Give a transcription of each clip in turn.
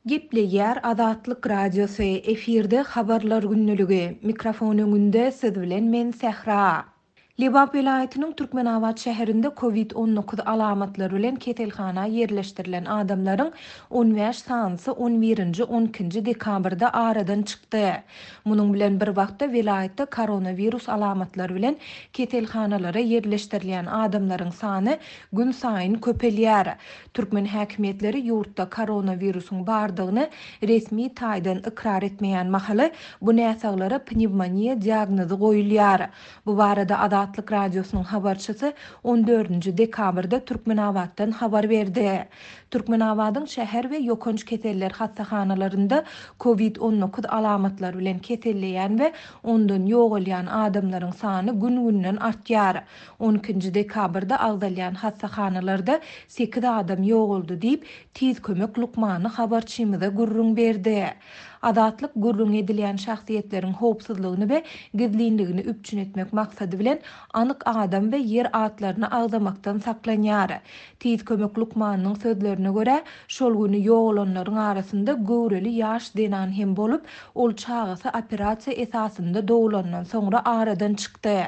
Gepleýär Azatlyk Radiosy, efirde Habarlar gündeligi, mikrofon öňünde siz bilen men Sähra. Lebap welaýatynyň Türkmenabat şäherinde Covid 19 alamatlary bilen keselhana ýerleşdirilen adamlaryň 15 sanysy on birinji, on ikinji dekabrda aradan çykdy. Munuň bilen bir wagtda welaýatda koronawirus alamatlary bilen keselhanalara ýerleşdirilýän adamlaryň sany günsaýyn köpelýär. Türkmen häkimiýetleri ýurtda koronawirusyň bardygyny resmi taýdan ykrar etmeýän mahaly, bu näsaglara pnewmoniýa diagnozy goýulýar. Bu barada Azatlyk Radiosynyň habarçysy on dördünji dekabrda Türkmenabatdan habar berdi. Türkmenabadyň şäher we ýokanç keseller hassahanalarynda Covid 19 alamatlary bilen keselleýän we ondan ýogalýan adamlaryň sany gün-günden artýar. On ikinji dekabrda agzalýan hassahanalarda sekiz adam ýogaldy diýip, Tiz kömek lukmany habarçymyza gürrüň berdi. Azatlyk gürrüňi edilýän şahsyýetleriň howpsuzlygyny we gizlinligini üpjün etmek maksady bilen anyk adam we ýer atlaryny agzamakdan saklanýar. Tiz kömek lukmanynyň sözlerine görä, şol güni ýogalanlaryň arasynda göwreli ýaş zenan hem bolup, ol çagasy operasiýa esasynda doglandan soňra aradan çykdy.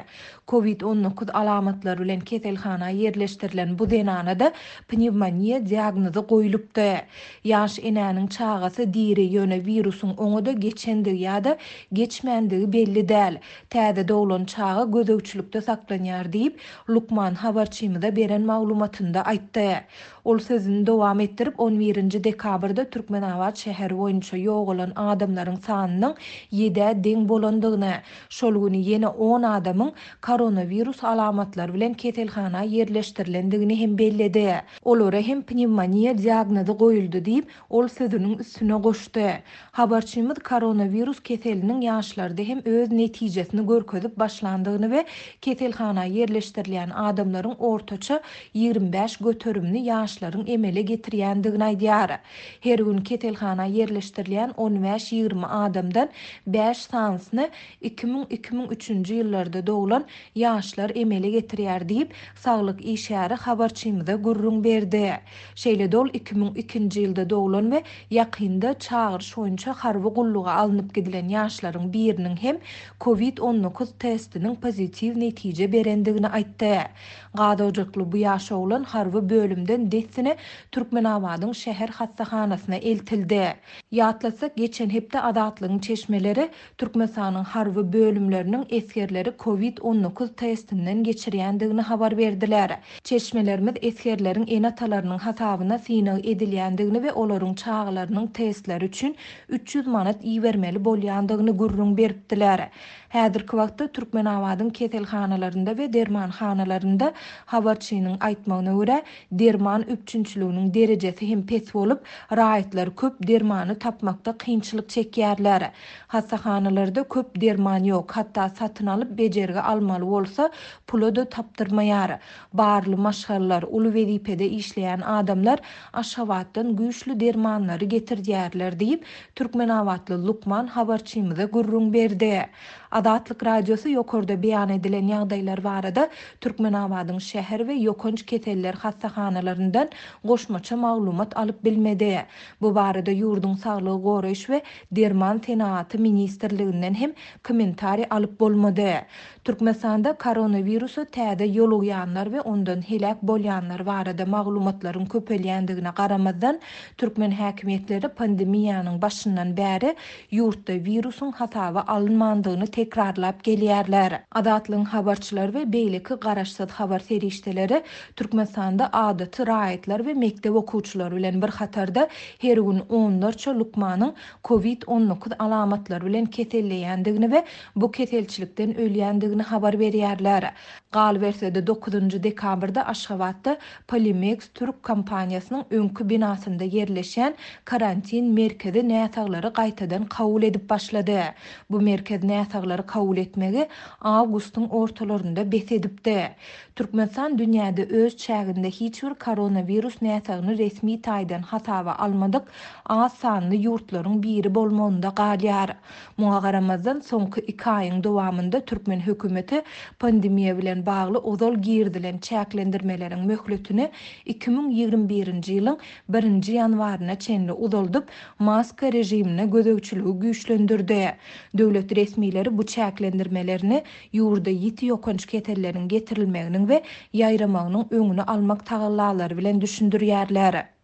Covid 19 alamatlary bilen keselhana ýerleşdirilen bu zenana-da pnewmoniýa diagnozy goýlupdy. Ýaş enäniň çagasy diri, ýöne wirusyň oňa-da geçendigi ýa-da geçmändigi belli däl. Täze doglan çaga gözegçilikde saklanýar diýip, lukman habarçymyza beren maglumatynda aýtdy. Ol sözüni dowam etdirip, on birinji dekabrda Türkmenabat şäheri boýunça ýogalan adamlaryň sanynyň ýedä deň bolandygyny, Şol güni ýene on adamyň koronawirus alamatlary bilen keselhana ýerleşdirilendigini hem belledi. Olara hem pnewmoniýa diagnozy goýuldy diýip, ol sözüniň üstüne goşdy. Habarçymyz koronawirus keseliniň ýaşlarda hem öz netijesini görkezip başlandygyny we keselhana ýerleşdirilýän adamlaryň ortaça 25 göterimini ýaşlaryň emele getirýändigini aýdýar. Her gün keselhana ýerleşdirilýän on bäş-ýigrimi adamdan bäş sanysyny 2000, 2003-nji ýyllarda doglan ýaşlar emele getirýär diýip, saglyk işgäri habarçymyza gürrüň berdi. Şeýle-de ol 2002-nji ýylda doglan we ýakynda çagyryş boýunça harby gulluga alnyp gidilen ýaşlaryň biriniň hem Covid 19 testiniň pozitiw netije berendigini aýtdy. Gaz ojakly bu ýaş oglan harby bölümden dessine Türkmenabadyň şäher hassahanasyna eltildi. Ýatlatsak, geçen hepde Azatlygyň çeşmeleri Türkmenistanyň harby bölümleriniň esgerleri Covid 19 testinden geçirýändigini habar berdiler. Çeşmelerimiz esgerleriň ene-atalarynyň hasabyna synag edilýändigini we olaryň çagalarynyň testleri üçin 300 manat ibermeli bolýandygyny gürrüň beripdiler. Häzirki wagtda Türkmenabadyň keselhanalarynda we dermanhanalarynda, habarçynyň aýtmagyna görä, derman üpjünçiliginiň derejesi hem pes bolup, raýatlar köp dermany tapmakda kynçylyk çekýärler. Hassahanalarda köp derman ýok, hatda satyn alyp bejergi almaly bolsa, pula-da tapdyrmaýar. Barly maşgalalar, uly wezipede işleýän adamlar Aşgabatdan güýçli dermanlary getirdýärler diýip, türkmenabatly lukman habarçymyza gürrüň berdi. Azatlyk Radiosy ýokarda beýan edilen ýagdaýlar barada Türkmenabadyň şäher we ýokanç keseller hassahanalaryndan goşmaça maglumat alyp bilmedi. Bu barada ýurduň Saglygy goraýyş we derman senagaty ministrliginden hem kommentariý alyp bolmady. Türkmenistanda koronawirusa täze ýolugýanlar we ondan heläk bolýanlar barada maglumatlaryň köpelýändigine garamazdan, türkmen häkimiýetleri pandemiýanyň başyndan bäri ýurtda wirusyň hasaba alynmandygyny tekrarlap gelýärler. Azatlygyň habarçylary we beýleki garaşsyz habar serişdeleri Türkmenistanda adaty raýatlar we mekdep okuwçylary bilen bir hatarda her gün onlarça lukmanyň Covid 19 alamatlary bilen keselleýändigini we bu keselçilikden ölýändigini habar berýärler. Galyberse-de, dokuzynjy dekabrda Aşgabatda Polimeks türk kompaniýasynyň öňki binasynda ýerleşýän karantin merkezi näsaglary gaýtadan kabul edip başlady. Bu merkez näsaglar. Näsaglary kabul etmegi awgustyň ortalarynda bes edipdi. Türkmenistan dünýäde öz çäginde hiç bir koronawirus näsagyny resmi taýdan hasaba almadyk az sanly ýurtlaryň biri bolmagynda galýar. Muňa garamazdan, soňky iki aýyň dowamynda türkmen hökümeti pandemiýa bilen bagly ozal girizilen çäklendirmeleriň möhletini 2021-nji ýylyň birinji ýanwaryna çenli uzaldyp, maska režimine gözegçiligi güýçlendirdi. Döwlet resmileri bu çäklendirmelerini ýurda ýiti ýokanç keselleriň getirilmeginiň we ýaýramagynyň öňüni almak tagallalary bilen düşündirýärler.